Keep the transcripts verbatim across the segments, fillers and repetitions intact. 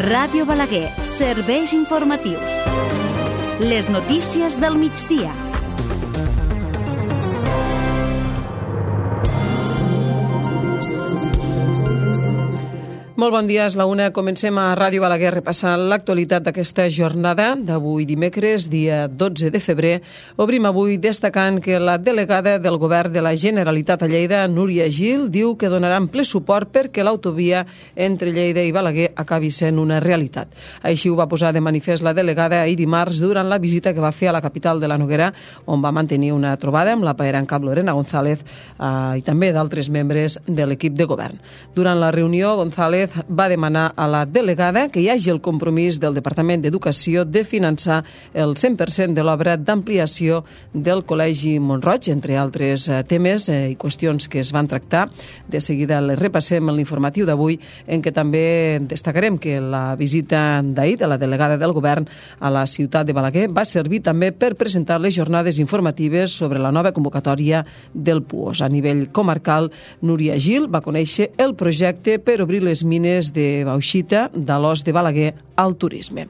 Ràdio Balaguer, serveis informatius. Les notícies del migdia. Molt bon dia, és la una. Comencem a Ràdio Balaguer repassant l'actualitat d'aquesta jornada d'avui dimecres, dia dotze de febrer. Obrim avui destacant que la delegada del Govern de la Generalitat a Lleida, Núria Gil, diu que donaran ple suport perquè l'autovia entre Lleida i Balaguer acabi sent una realitat. Així ho va posar de manifest la delegada ahir dimarts durant la visita que va fer a la capital de la Noguera, on va mantenir una trobada amb la paera en cap Lorena González eh, i també d'altres membres de l'equip de govern. Durant la reunió, González va demanar a la delegada que hi hagi el compromís del Departament d'Educació de finançar el cent per cent de l'obra d'ampliació del Col·legi Mont-roig, entre altres temes i qüestions que es van tractar. De seguida les repassem en l'informatiu d'avui, en què també destacarem que la visita d'ahir de la delegada del Govern a la ciutat de Balaguer va servir també per presentar les jornades informatives sobre la nova convocatòria del PUOS. A nivell comarcal, Núria Gil va conèixer el projecte per obrir les mines de bauxita de l'os de Balaguer al turisme.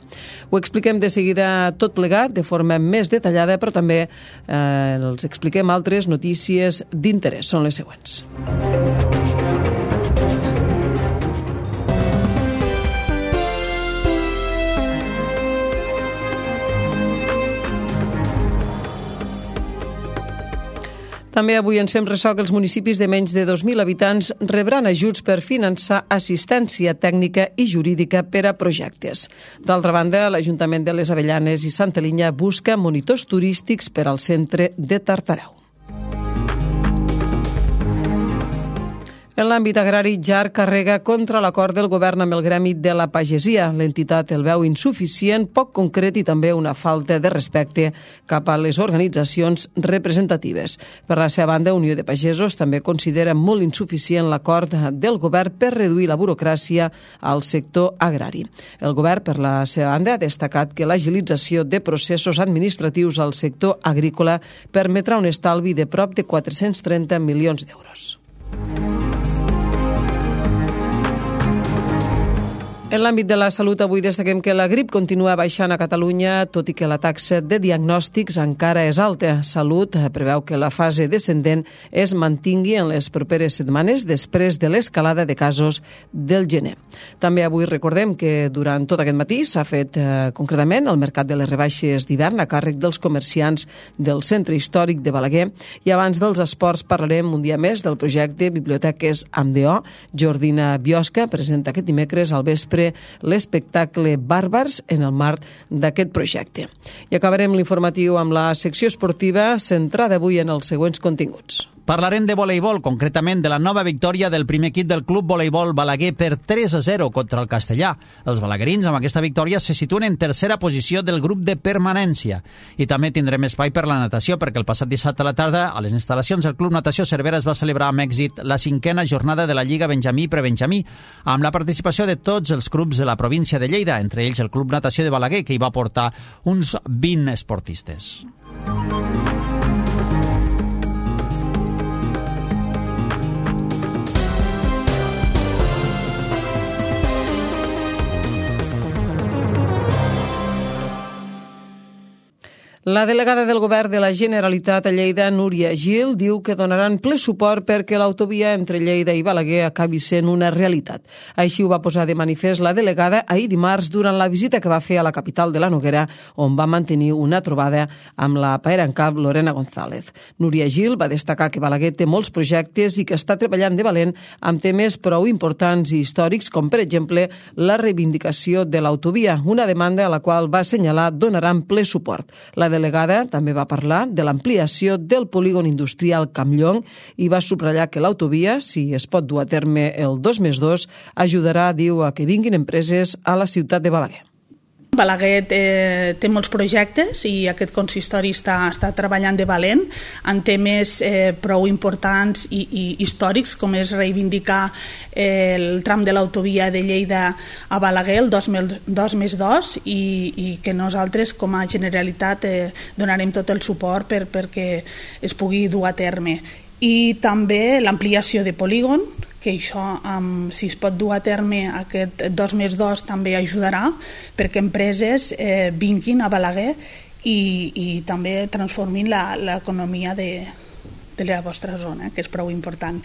Ho expliquem de seguida tot plegat de forma més detallada, però també eh, els expliquem altres notícies d'interès. Són les següents. També avui ens fem ressò que els municipis de menys de dos mil habitants rebran ajuts per finançar assistència tècnica i jurídica per a projectes. D'altra banda, l'Ajuntament de les Avellanes i Santa Linya busca monitors turístics per al centre de Tartareu. En l'àmbit agrari, Jar carrega contra l'acord del govern amb el gremi de la pagesia. L'entitat el veu insuficient, poc concret i també una falta de respecte cap a les organitzacions representatives. Per la seva banda, Unió de Pagesos també considera molt insuficient l'acord del govern per reduir la burocràcia al sector agrari. El govern, per la seva banda, ha destacat que l'agilització de processos administratius al sector agrícola permetrà un estalvi de prop de quatre-cents trenta milions d'euros. En l'àmbit de la salut, avui destaquem que la grip continua baixant a Catalunya, tot i que la taxa de diagnòstics encara és alta. Salut preveu que la fase descendent es mantingui en les properes setmanes després de l'escalada de casos del gener. També avui recordem que durant tot aquest matí s'ha fet eh, concretament el mercat de les rebaixes d'hivern a càrrec dels comerciants del centre històric de Balaguer, i abans dels esports parlarem un dia més del projecte Biblioteques amb D O. Jordina Biosca presenta aquest dimecres al vespre l'espectacle Bàrbars en el marc d'aquest projecte. I acabarem l'informatiu amb la secció esportiva centrada avui en els següents continguts. Parlarem de voleibol, concretament de la nova victòria del primer equip del Club Voleibol Balaguer per tres a zero contra el Castellà. Els balaguerins amb aquesta victòria se situen en tercera posició del grup de permanència. I també tindrem espai per la natació, perquè el passat dissabte a la tarda a les instal·lacions del Club Natació Cervera es va celebrar amb èxit la cinquena jornada de la Lliga Benjamí i Prebenjamí, amb la participació de tots els clubs de la província de Lleida, entre ells el Club Natació de Balaguer, que hi va portar uns vint esportistes. La delegada del Govern de la Generalitat a Lleida, Núria Gil, diu que donaran ple suport perquè l'autovia entre Lleida i Balaguer acabi sent una realitat. Així ho va posar de manifest la delegada ahir dimarts durant la visita que va fer a la capital de la Noguera, on va mantenir una trobada amb la paera en cap Lorena González. Núria Gil va destacar que Balaguer té molts projectes i que està treballant de valent amb temes prou importants i històrics, com per exemple la reivindicació de l'autovia, una demanda a la qual va assenyalar donaran ple suport. La delegada també va parlar de l'ampliació del polígon industrial Campllong i va subratllar que l'autovia, si es pot dur a terme el dos més dos, ajudarà, diu, a que vinguin empreses a la ciutat de Balaguer. Balaguer eh, té molts projectes i aquest consistori està, està treballant de valent en temes eh, prou importants i, i històrics, com és reivindicar eh, el tram de l'autovia de Lleida a Balaguer, el dos més dos, i, i que nosaltres com a Generalitat eh, donarem tot el suport per, perquè es pugui dur a terme. I també l'ampliació de polígon, que això, um, si es pot dur a terme aquest dos més dos, també ajudarà perquè empreses eh, vinguin a Balaguer i, i també transformin l'economia de, de la vostra zona, que és prou important.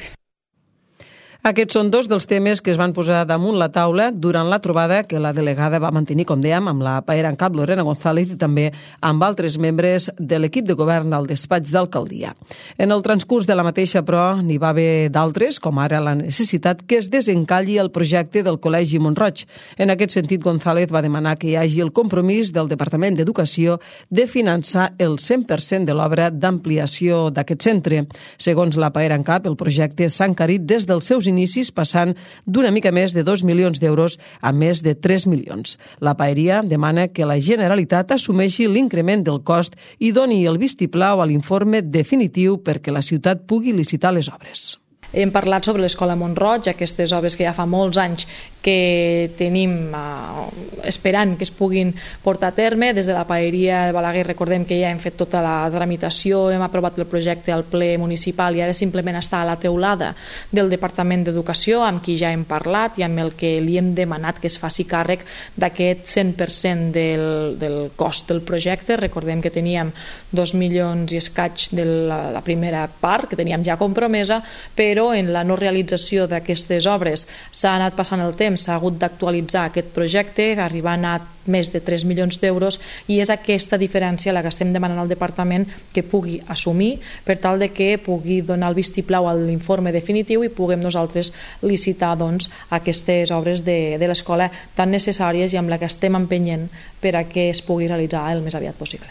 Aquests són dos dels temes que es van posar damunt la taula durant la trobada que la delegada va mantenir, com dèiem, amb la Paera en Cap, Lorena González, i també amb altres membres de l'equip de govern al despatx d'alcaldia. En el transcurs de la mateixa, però, n'hi va haver d'altres, com ara la necessitat que es desencalli el projecte del Col·legi Mont-roig. En aquest sentit, González va demanar que hi hagi el compromís del Departament d'Educació de finançar el cent per cent de l'obra d'ampliació d'aquest centre. Segons la Paera en Cap, el projecte s'ha encarit des dels seus inicis, passant d'una mica més de dos milions d'euros a més de tres milions. La Paeria demana que la Generalitat assumeixi l'increment del cost i doni el vistiplau a l'informe definitiu perquè la ciutat pugui licitar les obres. Hem parlat sobre l'Escola Mont-roig, aquestes obres que ja fa molts anys que tenim uh, esperant que es puguin portar a terme. Des de la Paeria de Balaguer recordem que ja hem fet tota la tramitació, hem aprovat el projecte al ple municipal i ara simplement està a la teulada del Departament d'Educació, amb qui ja hem parlat i amb el que li hem demanat que es faci càrrec d'aquest cent per cent del, del cost del projecte. Recordem que teníem dos milions i escaig de la, la primera part, que teníem ja compromesa, però en la no realització d'aquestes obres s'ha anat passant el temps, s'ha hagut d'actualitzar aquest projecte, arribant a més de tres milions d'euros, i és aquesta diferència la que estem demanant al departament que pugui assumir per tal de que pugui donar el vistiplau a l'informe definitiu i puguem nosaltres licitar doncs, aquestes obres de, de l'escola tan necessàries i amb la que estem empenyent per a que es pugui realitzar el més aviat possible.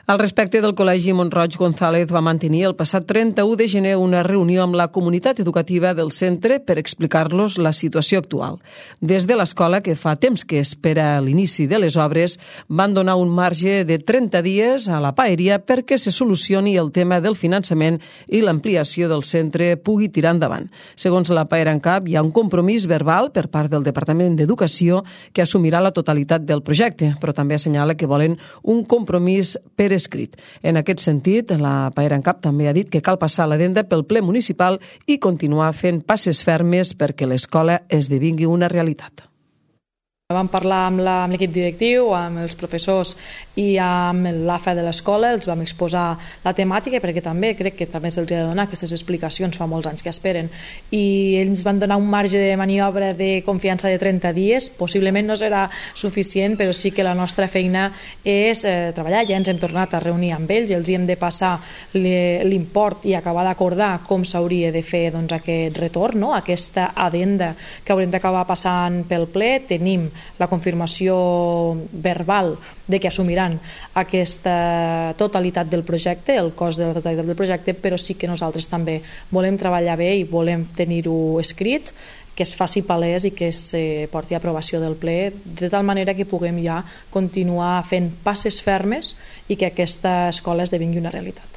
Al respecte del Col·legi Mont-roig, González va mantenir el passat trenta-u de gener una reunió amb la comunitat educativa del centre per explicar-los la situació actual. Des de l'escola, que fa temps que espera l'inici de les obres, van donar un marge de trenta dies a la Paeria perquè se solucioni el tema del finançament i l'ampliació del centre pugui tirar endavant. Segons la Paera en Cap, hi ha un compromís verbal per part del Departament d'Educació que assumirà la totalitat del projecte, però també assenyala que volen un compromís per escrit. En aquest sentit, la Paera en Cap també ha dit que cal passar l'adenda pel ple municipal i continuar fent passes fermes perquè l'escola esdevingui una realitat. Vam parlar amb l'equip directiu, amb els professors i amb l'A F A de l'escola, els vam exposar la temàtica perquè també crec que també se'ls ha de donar aquestes explicacions, fa molts anys que esperen, i ells van donar un marge de maniobra de confiança de trenta dies, possiblement no serà suficient, però sí que la nostra feina és eh, treballar. Ja ens hem tornat a reunir amb ells i els hi hem de passar l'import i acabar d'acordar com s'hauria de fer doncs, aquest retorn, no? Aquesta adenda que haurem d'acabar passant pel ple. Tenim la confirmació verbal de que assumiran aquesta totalitat del projecte, el cost de la totalitat del projecte, però sí que nosaltres també volem treballar bé i volem tenir-ho escrit, que es faci palès i que es porti a aprovació del ple, de tal manera que puguem ja continuar fent passes fermes i que aquesta escola esdevingui una realitat.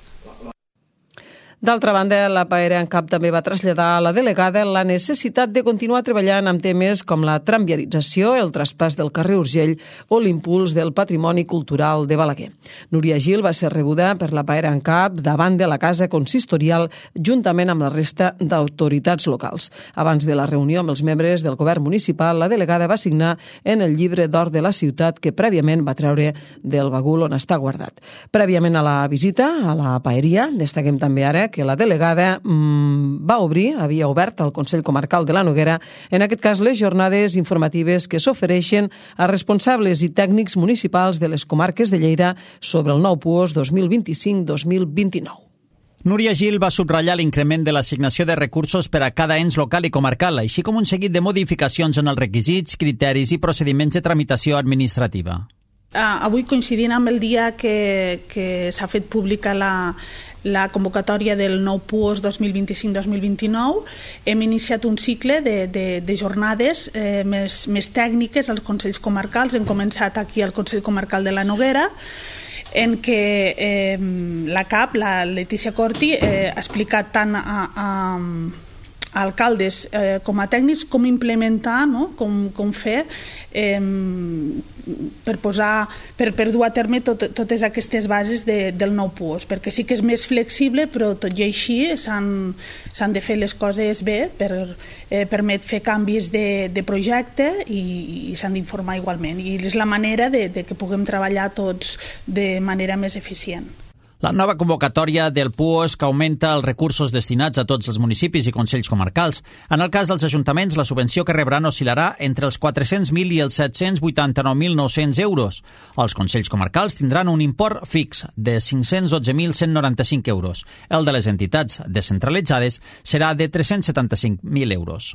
D'altra banda, la Paera en Cap també va traslladar a la delegada la necessitat de continuar treballant amb temes com la tramviarització, el traspàs del carrer Urgell o l'impuls del patrimoni cultural de Balaguer. Núria Gil va ser rebuda per la Paera en Cap davant de la Casa Consistorial juntament amb la resta d'autoritats locals. Abans de la reunió amb els membres del govern municipal, la delegada va signar en el llibre d'or de la ciutat que prèviament va treure del bagul on està guardat. Prèviament a la visita a la Paeria, destaquem també ara que la delegada mmm, va obrir, havia obert al Consell Comarcal de la Noguera, en aquest cas les jornades informatives que s'ofereixen a responsables i tècnics municipals de les comarques de Lleida sobre el nou PUOS dos mil vint-i-cinc dos mil vint-i-nou. Núria Gil va subratllar l'increment de l'assignació de recursos per a cada ens local i comarcal, així com un seguit de modificacions en els requisits, criteris i procediments de tramitació administrativa. Uh, avui, coincidint amb el dia que, que s'ha fet pública la, la convocatòria del nou PUOS dos mil vint-i-cinc dos mil vint-i-nou, hem iniciat un cicle de, de, de jornades eh, més, més tècniques als Consells Comarcals. Hem començat aquí al Consell Comarcal de la Noguera, en què eh, la cap, la Letícia Corti, eh, ha explicat tant a, a alcaldes eh, com a tècnics com implementar, no? com, com fer eh, per posar per, per dur a terme tot, totes aquestes bases de, del nou P U O S, perquè sí que és més flexible, però tot i així s'han, s'han de fer les coses bé per eh, permet fer canvis de, de projecte i, i s'han d'informar igualment, i és la manera de, de que puguem treballar tots de manera més eficient. La nova convocatòria del P U O S que augmenta els recursos destinats a tots els municipis i consells comarcals. En el cas dels ajuntaments, la subvenció que rebran oscil·larà entre els quatre-cents mil i els set-cents vuitanta-nou mil nou-cents euros. Els consells comarcals tindran un import fix de cinc-cents dotze mil cent noranta-cinc euros. El de les entitats descentralitzades serà de tres-cents setanta-cinc mil euros.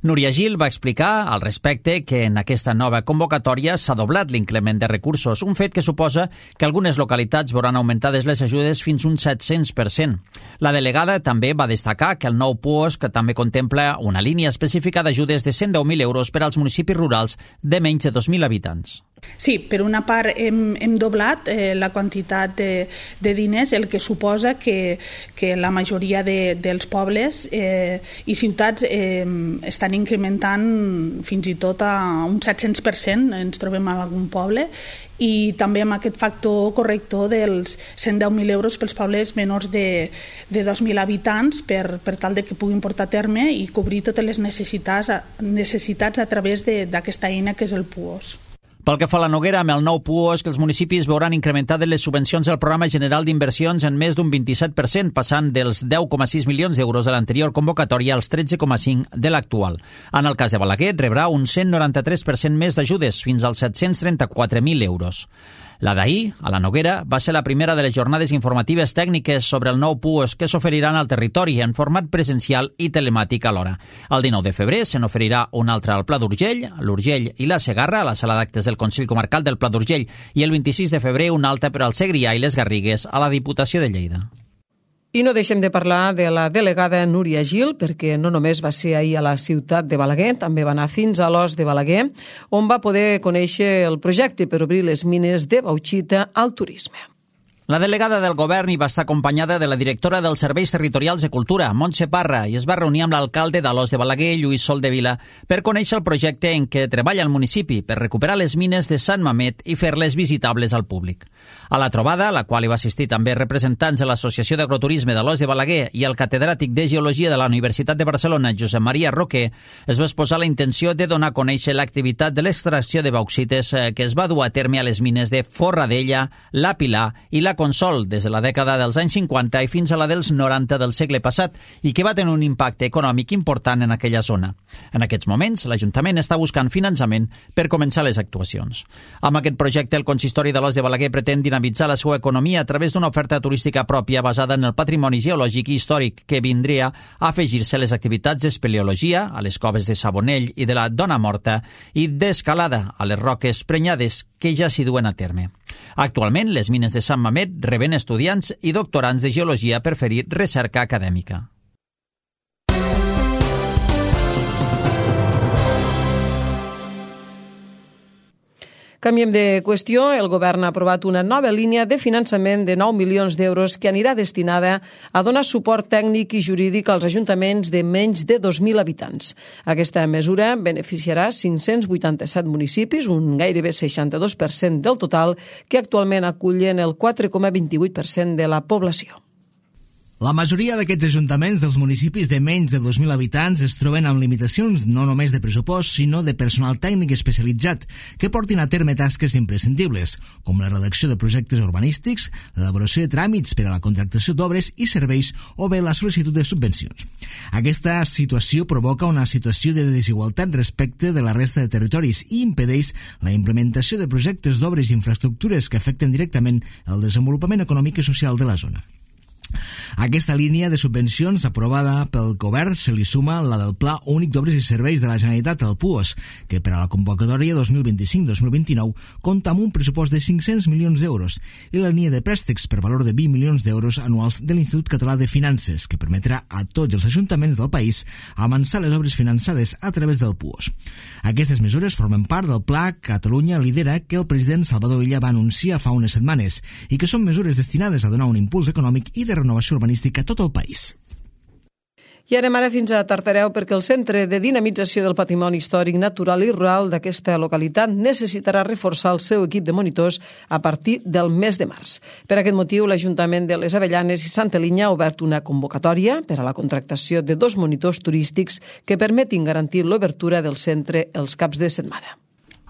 Núria Gil va explicar al respecte que en aquesta nova convocatòria s'ha doblat l'increment de recursos, un fet que suposa que algunes localitats veuran augmentades les ajudes fins un set-cents per cent. La delegada també va destacar que el nou P U O S que també contempla una línia específica d'ajudes de cent deu mil euros per als municipis rurals de menys de dos mil habitants. Sí, per una part hem, hem doblat eh, la quantitat de, de diners, el que suposa que, que la majoria de, dels pobles eh, i ciutats eh, estan incrementant fins i tot a un set-cents per cent, ens trobem a algun poble, i també amb aquest factor corrector dels cent deu mil euros pels pobles menors de, de dos mil habitants per, per tal de que puguin portar a terme i cobrir totes les necessitats, necessitats a través d'aquesta eina que és el P U O S. Pel que fa a la Noguera, amb el nou P U O S que els municipis veuran incrementades les subvencions del Programa General d'Inversions en més d'un vint-i-set per cent, passant dels deu coma sis milions d'euros de l'anterior convocatòria als tretze coma cinc de l'actual. En el cas de Balaguer, rebrà un cent noranta-tres per cent més d'ajudes, fins als set-cents trenta-quatre mil euros. La d'ahir, a la Noguera, va ser la primera de les jornades informatives tècniques sobre el nou P U O S que s'oferiran al territori en format presencial i telemàtic alhora. El dinou de febrer se n'oferirà una altra al Pla d'Urgell, l'Urgell i la Segarra, a la sala d'actes del Consell Comarcal del Pla d'Urgell, i el vint-i-sis de febrer una altra per al Segrià i les Garrigues a la Diputació de Lleida. I no deixem de parlar de la delegada Núria Gil, perquè no només va ser ahir a la ciutat de Balaguer, també va anar fins a l'Os de Balaguer, on va poder conèixer el projecte per obrir les mines de bauxita al turisme. La delegada del govern hi va estar acompanyada de la directora dels Serveis Territorials de Cultura, Montse Parra, i es va reunir amb l'alcalde d'Alòs de Balaguer, Lluís Soldevila, per conèixer el projecte en què treballa el municipi per recuperar les mines de Sant Mamet i fer-les visitables al públic. A la trobada, a la qual hi va assistir també representants de l'Associació d'Agroturisme d'Alòs de Balaguer i el catedràtic de Geologia de la Universitat de Barcelona, Josep Maria Roquer, es va exposar la intenció de donar a conèixer l'activitat de l'extracció de bauxites que es va dur a terme a les mines de Forradella, La Pilar i la Consol des de la dècada dels anys cinquanta i fins a la dels noranta del segle passat i que va tenir un impacte econòmic important en aquella zona. En aquests moments, l'Ajuntament està buscant finançament per començar les actuacions. Amb aquest projecte, el consistori d'Alòs de Balaguer pretén dinamitzar la seva economia a través d'una oferta turística pròpia basada en el patrimoni geològic i històric que vindria a afegir-se a les activitats d'espeleologia, a les coves de Sabonell i de la Dona Morta i d'escalada a les roques prenyades que ja s'hi duen a terme. Actualment, les mines de Sant Mamet reben estudiants i doctorants de geologia per fer-hi recerca acadèmica. Canviem de qüestió. El govern ha aprovat una nova línia de finançament de nou milions d'euros que anirà destinada a donar suport tècnic i jurídic als ajuntaments de menys de dos mil habitants. Aquesta mesura beneficiarà cinc-cents vuitanta-set municipis, un gairebé seixanta-dos per cent del total, que actualment acullen el quatre coma vint-i-vuit per cent de la població. La majoria d'aquests ajuntaments dels municipis de menys de dos mil habitants es troben amb limitacions no només de pressupost, sinó de personal tècnic especialitzat que portin a terme tasques imprescindibles, com la redacció de projectes urbanístics, l'elaboració de tràmits per a la contractació d'obres i serveis o bé la sol·licitud de subvencions. Aquesta situació provoca una situació de desigualtat respecte de la resta de territoris i impedeix la implementació de projectes d'obres i infraestructures que afecten directament el desenvolupament econòmic i social de la zona. A aquesta línia de subvencions aprovada pel govern se li suma la del Pla Únic d'Obres i Serveis de la Generalitat, el P U O S, que per a la convocatòria dos mil vint-i-cinc dos mil vint-i-nou compta amb un pressupost de cinc-cents milions d'euros i la línia de préstecs per valor de vint milions d'euros anuals de l'Institut Català de Finances, que permetrà a tots els ajuntaments del país avançar les obres finançades a través del P U O S. Aquestes mesures formen part del Pla Catalunya Lidera que el president Salvador Illa va anunciar fa unes setmanes i que són mesures destinades a donar un impuls econòmic i de renovació urbanística a tot el país. I anem ara fins a Tartareu perquè el Centre de Dinamització del Patrimoni Històric, Natural i Rural d'aquesta localitat necessitarà reforçar el seu equip de monitors a partir del mes de març. Per aquest motiu, l'Ajuntament de les Avellanes i Santa Linya ha obert una convocatòria per a la contractació de dos monitors turístics que permetin garantir l'obertura del centre els caps de setmana.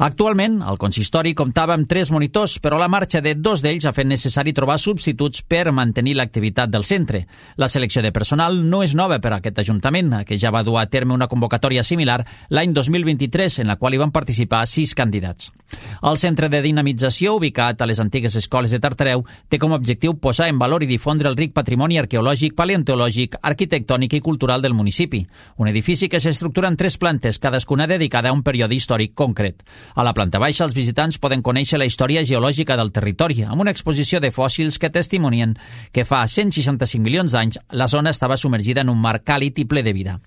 Actualment, el consistori comptava amb tres monitors, però la marxa de dos d'ells ha fet necessari trobar substituts per mantenir l'activitat del centre. La selecció de personal no és nova per a aquest Ajuntament, que ja va dur a terme una convocatòria similar l'any dos mil vint-i-tres, en la qual hi van participar sis candidats. El Centre de Dinamització, ubicat a les antigues escoles de Tartareu, té com a objectiu posar en valor i difondre el ric patrimoni arqueològic, paleontològic, arquitectònic i cultural del municipi. Un edifici que s'estructura en tres plantes, cadascuna dedicada a un període històric concret. A la planta baixa, els visitants poden conèixer la història geològica del territori, amb una exposició de fòssils que testimonien que fa cent seixanta-cinc milions d'anys la zona estava submergida en un mar càlid i ple de vida.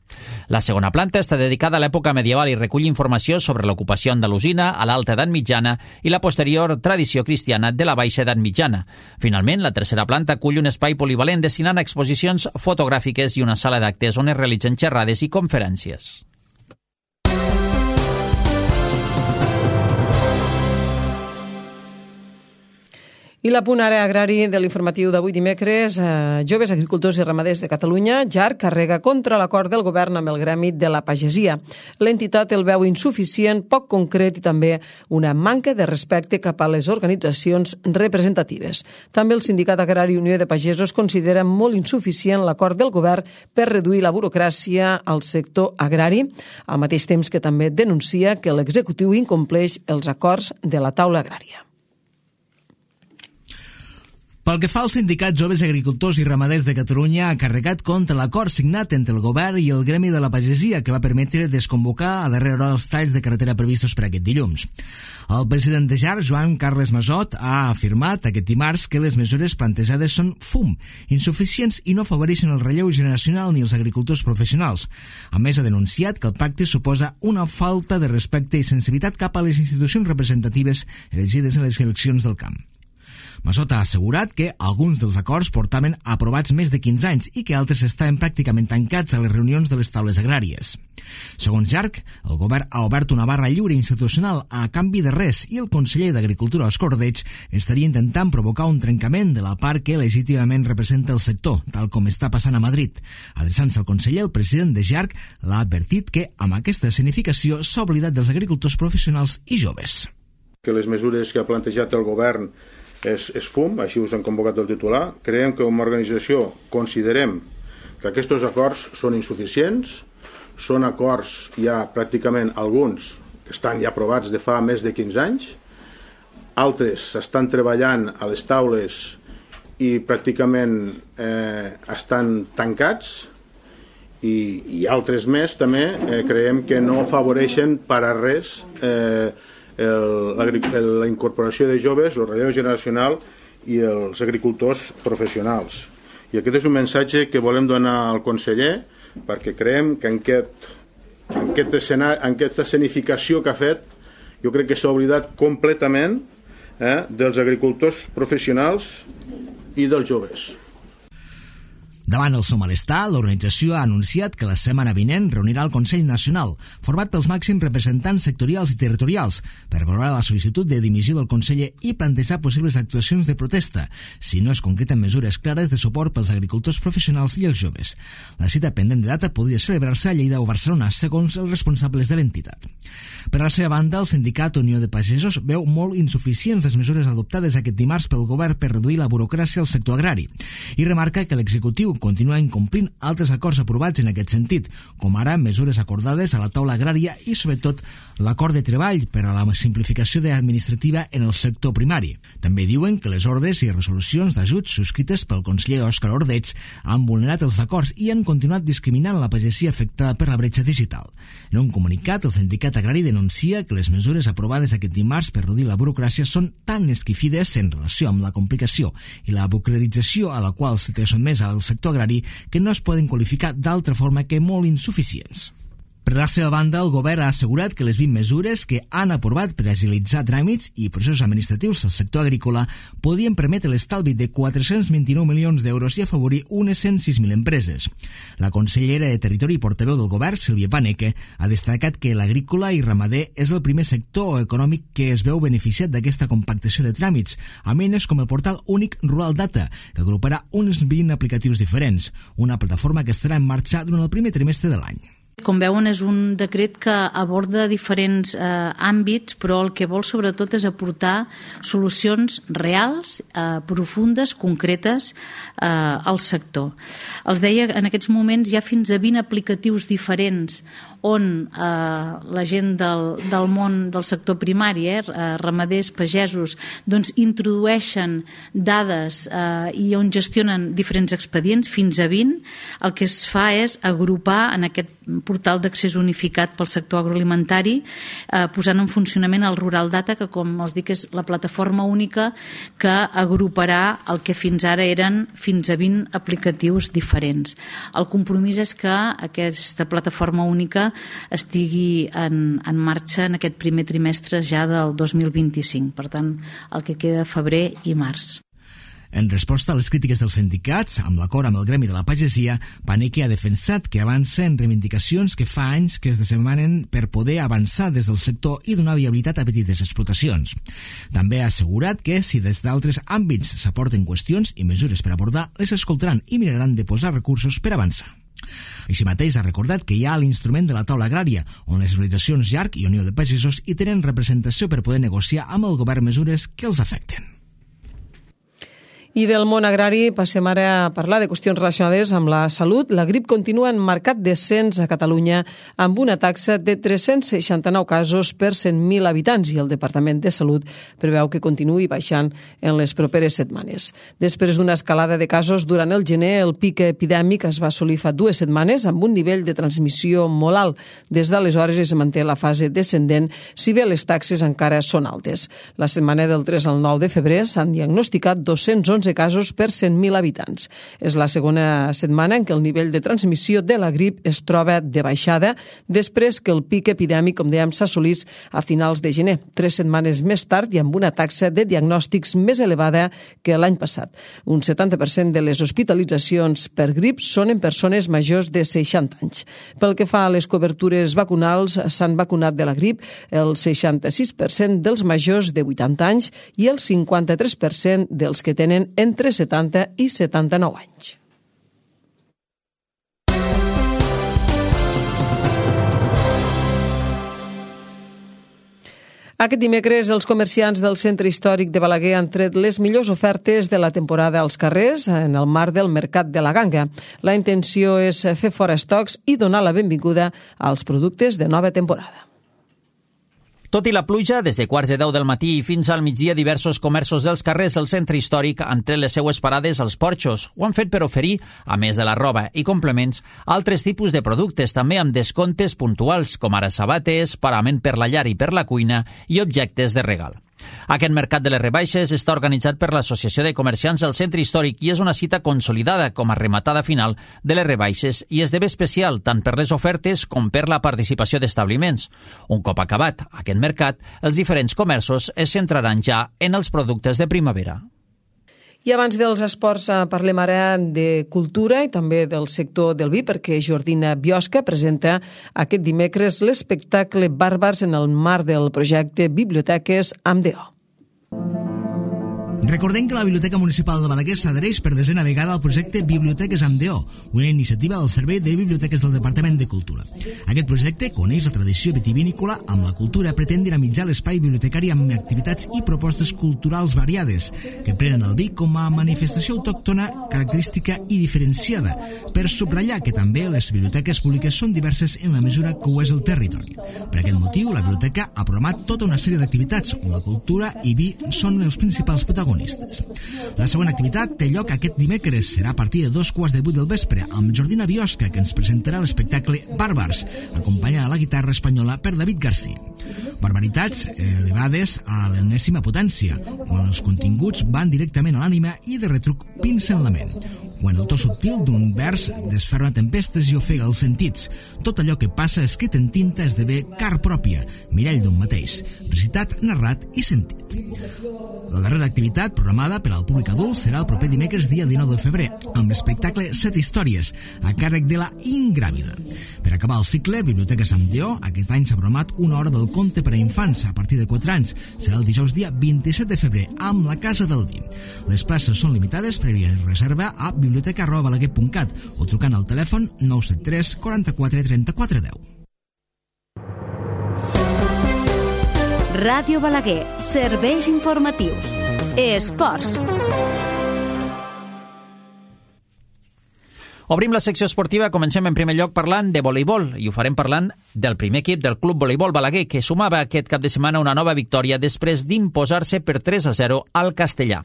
La segona planta està dedicada a l'època medieval i recull informació sobre l'ocupació andalusina, a l'alta edat mitjana i la posterior tradició cristiana de la baixa edat mitjana. Finalment, la tercera planta acull un espai polivalent destinant a exposicions fotogràfiques i una sala d'actes on es realitzen xerrades i conferències. I l'apunt ara agrari de l'informatiu d'avui dimecres, eh, Joves Agricultors i Ramaders de Catalunya, J A R, carrega contra l'acord del govern amb el gremi de la pagesia. L'entitat el veu insuficient, poc concret i també una manca de respecte cap a les organitzacions representatives. També el Sindicat Agrari Unió de Pagesos considera molt insuficient l'acord del govern per reduir la burocràcia al sector agrari, al mateix temps que també denuncia que l'executiu incompleix els acords de la taula agrària. Pel que fa al sindicat Joves Agricultors i Ramaders de Catalunya, ha carregat contra l'acord signat entre el govern i el gremi de la pagesia que va permetre desconvocar a darrera hora els talls de carretera previstos per aquest dilluns. El president de J A R, Joan Carles Masot, ha afirmat aquest dimarts que les mesures plantejades són fum, insuficients i no afavoreixen el relleu generacional ni els agricultors professionals. A més, ha denunciat que el pacte suposa una falta de respecte i sensibilitat cap a les institucions representatives elegides en les eleccions del camp. Masot ha assegurat que alguns dels acords portaven aprovats més de quinze anys i que altres estaven pràcticament tancats a les reunions de les taules agràries. Segons J A R C, el govern ha obert una barra lliure institucional a canvi de res i el conseller d'Agricultura, Òscar Ordeig, estaria intentant provocar un trencament de la part que legítimament representa el sector, tal com està passant a Madrid. Adreçant-se al conseller, el president de J A R C l'ha advertit que amb aquesta escenificació s'ha oblidat dels agricultors professionals i joves. Que les mesures que ha plantejat el govern És, és fum, així us han convocat el titular. Creiem que com a organització considerem que aquests acords són insuficients, són acords ja pràcticament alguns que estan ja aprovats de fa més de quinze anys, altres s'estan treballant a les taules i pràcticament eh, estan tancats i, i altres més també eh, creiem que no afavoreixen per a res eh, El, la incorporació de joves, el relleu generacional i els agricultors professionals. I aquest és un missatge que volem donar al conseller perquè creiem que en, aquest, en, aquest escenari, en aquesta escenificació que ha fet jo crec que s'ha oblidat completament eh, dels agricultors professionals i dels joves. Davant el seu malestar, l'organització ha anunciat que la setmana vinent reunirà el Consell Nacional, format pels màxims representants sectorials i territorials, per valorar la sol·licitud de dimissió del conseller i plantejar possibles actuacions de protesta, si no es concreten mesures clares de suport pels agricultors professionals i els joves. La cita pendent de data podria celebrar-se a Lleida o Barcelona, segons els responsables de l'entitat. Per a la seva banda, el sindicat Unió de Pagesos veu molt insuficients les mesures adoptades aquest dimarts pel govern per reduir la burocràcia al sector agrari i remarca que l'executiu continua incomplint altres acords aprovats en aquest sentit, com ara mesures acordades a la taula agrària i, sobretot, l'acord de treball per a la simplificació administrativa en el sector primari. També diuen que les ordres i resolucions d'ajuts subscrites pel conseller Òscar Ordeig han vulnerat els acords i han continuat discriminant la pagesia afectada per la bretxa digital. En un comunicat, el sindicat agrari denuncia que les mesures aprovades aquest dimarts per reduir la burocràcia són tan esquifides en relació amb la complicació i la burocratització a la qual se té sotmès al sector agrari que no es poden qualificar d'altra forma que molt insuficients. Per la seva banda, el govern ha assegurat que les vint mesures que han aprovat per agilitzar tràmits i processos administratius al sector agrícola podien permetre l'estalvi de quatre-cents vint-i-nou milions d'euros i afavorir unes cent sis mil empreses. La consellera de Territori i portaveu del govern, Sílvia Paneque, ha destacat que l'agrícola i ramader és el primer sector econòmic que es veu beneficiat d'aquesta compactació de tràmits, amb eines com el portal únic Rural Data, que agruparà uns vint aplicatius diferents, una plataforma que estarà en marxa durant el primer trimestre de l'any. Com veuen, és un decret que aborda diferents eh, àmbits, però el que vol sobretot és aportar solucions reals, eh, profundes, concretes eh, al sector. Els deia, en aquests moments hi ha fins a vint aplicatius diferents on eh, la gent del, del món del sector primari, eh, ramaders, pagesos, doncs introdueixen dades eh, i on gestionen diferents expedients, fins a vint. El que es fa és agrupar en aquest portal d'accés unificat pel sector agroalimentari, eh, posant en funcionament el Rural Data, que com els dic és la plataforma única que agruparà el que fins ara eren fins a vint aplicatius diferents. El compromís és que aquesta plataforma única estigui en, en marxa en aquest primer trimestre ja del dos mil vint-i-cinc, per tant, el que queda febrer i març. En resposta a les crítiques dels sindicats, amb l'acord amb el gremi de la pagesia, Paneque ha defensat que avança en reivindicacions que fa anys que es desemanen per poder avançar des del sector i donar viabilitat a petites explotacions. També ha assegurat que, si des d'altres àmbits s'aporten qüestions i mesures per abordar, les escoltaran i miraran de posar recursos per avançar. Així mateix ha recordat que hi ha l'instrument de la taula agrària, on les organitzacions Llarg i Unió de Pagesos hi tenen representació per poder negociar amb el govern mesures que els afecten. I del món agrari passem ara a parlar de qüestions relacionades amb la salut. La grip continua en marcat descens a Catalunya amb una taxa de tres-cents seixanta-nou casos per cent mil habitants i el Departament de Salut preveu que continuï baixant en les properes setmanes. Després d'una escalada de casos durant el gener, el pic epidèmic es va assolir fa dues setmanes amb un nivell de transmissió molt alt. Des d'aleshores es manté la fase descendent, si bé les taxes encara són altes. La setmana del tres al nou de febrer s'han diagnosticat dos-cents onze casos per cent mil habitants. És la segona setmana en què el nivell de transmissió de la grip es troba de baixada, després que el pic epidèmic, com dèiem, s'assolís a finals de gener, tres setmanes més tard i amb una taxa de diagnòstics més elevada que l'any passat. Un setanta per cent de les hospitalitzacions per grip són en persones majors de seixanta anys. Pel que fa a les cobertures vacunals, s'han vacunat de la grip el seixanta-sis per cent dels majors de vuitanta anys i el cinquanta-tres per cent dels que tenen entre setanta i setanta-nou anys. Aquest dimecres, els comerciants del centre històric de Balaguer han tret les millors ofertes de la temporada als carrers en el marc del Mercat de la Ganga. La intenció és fer fora estocs i donar la benvinguda als productes de nova temporada. Tot i la pluja, des de quarts de deu del matí i fins al migdia, diversos comerços dels carrers del centre històric han tret les seues parades als porxos. Ho han fet per oferir, a més de la roba i complements, altres tipus de productes, també amb descomptes puntuals, com ara sabates, parament per la llar i per la cuina i objectes de regal. Aquest mercat de les rebaixes està organitzat per l'Associació de Comerciants del Centre Històric i és una cita consolidada com a rematada final de les rebaixes i esdevé especial tant per les ofertes com per la participació d'establiments. Un cop acabat aquest mercat, els diferents comerços es centraran ja en els productes de primavera. I abans dels esports parlem ara de cultura i també del sector del vi, perquè Jordina Biosca presenta aquest dimecres l'espectacle Bàrbars en el marc del projecte Biblioteques amb D O. Recordem que la Biblioteca Municipal de Balaguer s'adhereix per desena vegada al projecte Biblioteques amb D O, una iniciativa del Servei de Biblioteques del Departament de Cultura. Aquest projecte coneix la tradició vitivinícola amb la cultura, pretén dinamitzar l'espai bibliotecari amb activitats i propostes culturals variades, que prenen el vi com a manifestació autòctona, característica i diferenciada, per subratllar que també les biblioteques públiques són diverses en la mesura que ho és el territori. Per aquest motiu, la biblioteca ha programat tota una sèrie d'activitats on la cultura i vi són els principals protagonistes. La següent activitat té lloc aquest dimecres. Serà a partir de dos quarts de vuit del vespre amb Jordina Biosca, que ens presentarà l'espectacle Bàrbars, acompanyada a la guitarra espanyola per David García. Barbaritats elevades a l'enèsima potència, quan els continguts van directament a l'ànima i de retruc pincen la ment, quan el to subtil d'un vers desferra tempestes i ofega els sentits. Tot allò que passa escrit en tinta esdevé car pròpia, mirall d'un mateix, recitat, narrat i sentit. La darrera activitat programada per al públic adult serà el proper dimecres dia dinou de febrer, amb l'espectacle Set històries, a càrrec de la Ingràvida. Per acabar el cicle, Biblioteca Sant Lleó, aquest any s'ha programat una hora del conte per a infants a partir de quatre anys. Serà el dijous dia vint-i-set de febrer, amb la Casa del Vi. Les places són limitades, prèvia reserva a biblioteca arroba balaguer punt cat o trucant al telèfon nou set tres quaranta-quatre trenta-quatre deu. Ràdio Balaguer, serveis informatius. Esports. Obrim la secció esportiva, comencem en primer lloc parlant de voleibol i ho farem parlant del primer equip del Club Voleibol Balaguer, que sumava aquest cap de setmana una nova victòria després d'imposar-se per tres a zero al Castellà.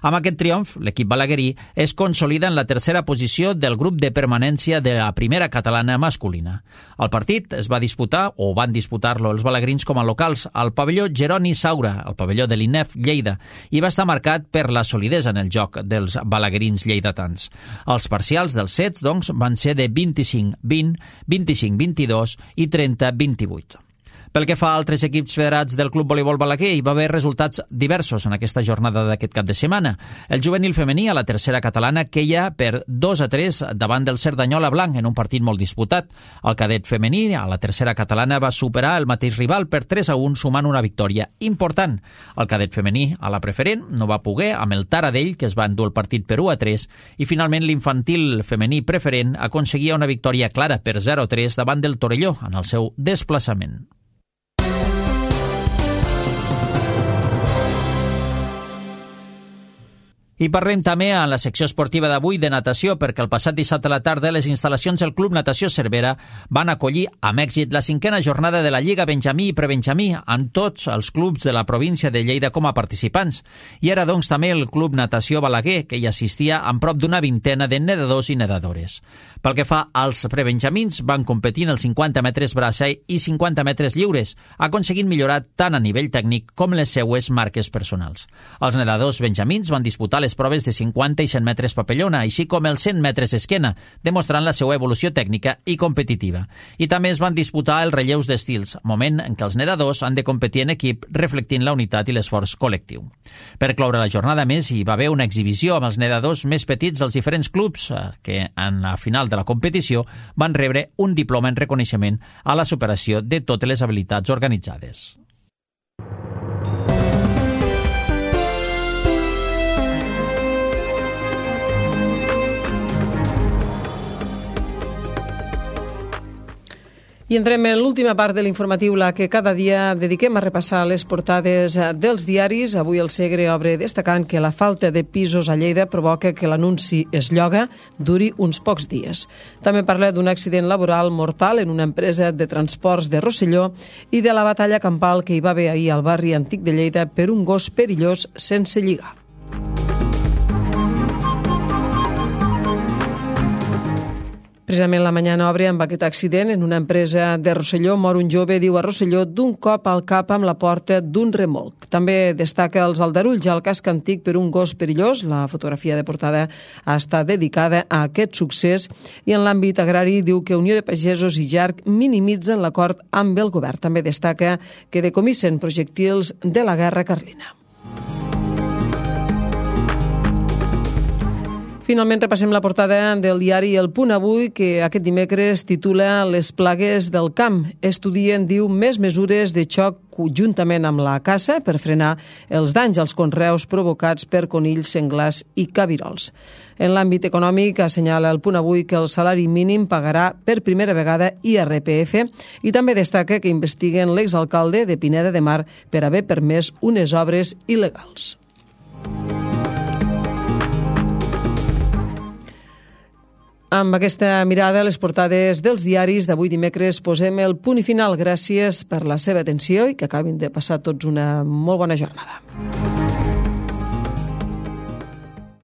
Amb aquest triomf, l'equip balaguerí es consolida en la tercera posició del grup de permanència de la primera catalana masculina. El partit es va disputar, o van disputar-lo els balaguerins com a locals, al pavelló Jeroni Saura, al pavelló de l'I N E F Lleida, i va estar marcat per la solidesa en el joc dels balaguerins lleidatans. Els parcials dels sets, doncs, van ser de vint-i-cinc vint, vint-i-cinc vint-i-dos i trenta vint-i-vuit. Pel que fa a altres equips federats del Club Voleibol Balaguer, hi va haver resultats diversos en aquesta jornada d'aquest cap de setmana. El juvenil femení a la tercera catalana queia per dos a tres davant del Cerdanyola Blanc en un partit molt disputat. El cadet femení a la tercera catalana va superar el mateix rival per tres a un, sumant una victòria important. El cadet femení a la preferent no va poder amb el Taradell, que es va endur el partit per u a tres, i finalment l'infantil femení preferent aconseguia una victòria clara per zero a tres davant del Torelló en el seu desplaçament. I parlem també a la secció esportiva d'avui de natació, perquè el passat dissabte a la tarda les instal·lacions del Club Natació Cervera van acollir amb èxit la cinquena jornada de la Lliga Benjamí i Prebenjamí, amb tots els clubs de la província de Lleida com a participants. I era doncs també el Club Natació Balaguer, que hi assistia amb prop d'una vintena de nedadors i nedadores. Pel que fa als prebenjamins, van competir en els cinquanta metres braça i cinquanta metres lliures, aconseguint millorar tant a nivell tècnic com les seues marques personals. Els nedadors benjamins van disputar les proves de cinquanta i cent metres papellona, així com els cent metres esquena, demostrant la seva evolució tècnica i competitiva. I també es van disputar els relleus d'estils, moment en què els nedadors han de competir en equip, reflectint la unitat i l'esforç col·lectiu. Per cloure la jornada més, hi va haver una exhibició amb els nedadors més petits dels diferents clubs, que en la final de la competició van rebre un diploma en reconeixement a la superació de totes les habilitats organitzades. I entrem en l'última part de l'informatiu, la que cada dia dediquem a repassar les portades dels diaris. Avui el Segre obre destacant que la falta de pisos a Lleida provoca que l'anunci es lloga duri uns pocs dies. També parla d'un accident laboral mortal en una empresa de transports de Rosselló i de la batalla campal que hi va haver ahir al barri antic de Lleida per un gos perillós sense lligar. Precisament la Mañana obre amb aquest accident en una empresa de Rosselló. Mor un jove, diu a Rosselló, d'un cop al cap amb la porta d'un remolc. També destaca els aldarulls al casc antic per un gos perillós. La fotografia de portada ha estat dedicada a aquest succés. I en l'àmbit agrari diu que Unió de Pagesos i Jarc minimitzen l'acord amb el govern. També destaca que decomissen projectils de la guerra carlina. Finalment repassem la portada del diari El Punt Avui, que aquest dimecres titula Les plagues del camp. Estudien, diu, més mesures de xoc juntament amb la caça per frenar els danys als conreus provocats per conills, senglars i cabirols. En l'àmbit econòmic assenyala El Punt Avui que el salari mínim pagarà per primera vegada I R P F i també destaca que investiguen l'exalcalde de Pineda de Mar per haver permès unes obres il·legals. Amb aquesta mirada a les portades dels diaris d'avui dimecres posem el punt i final. Gràcies per la seva atenció i que acabin de passar tots una molt bona jornada.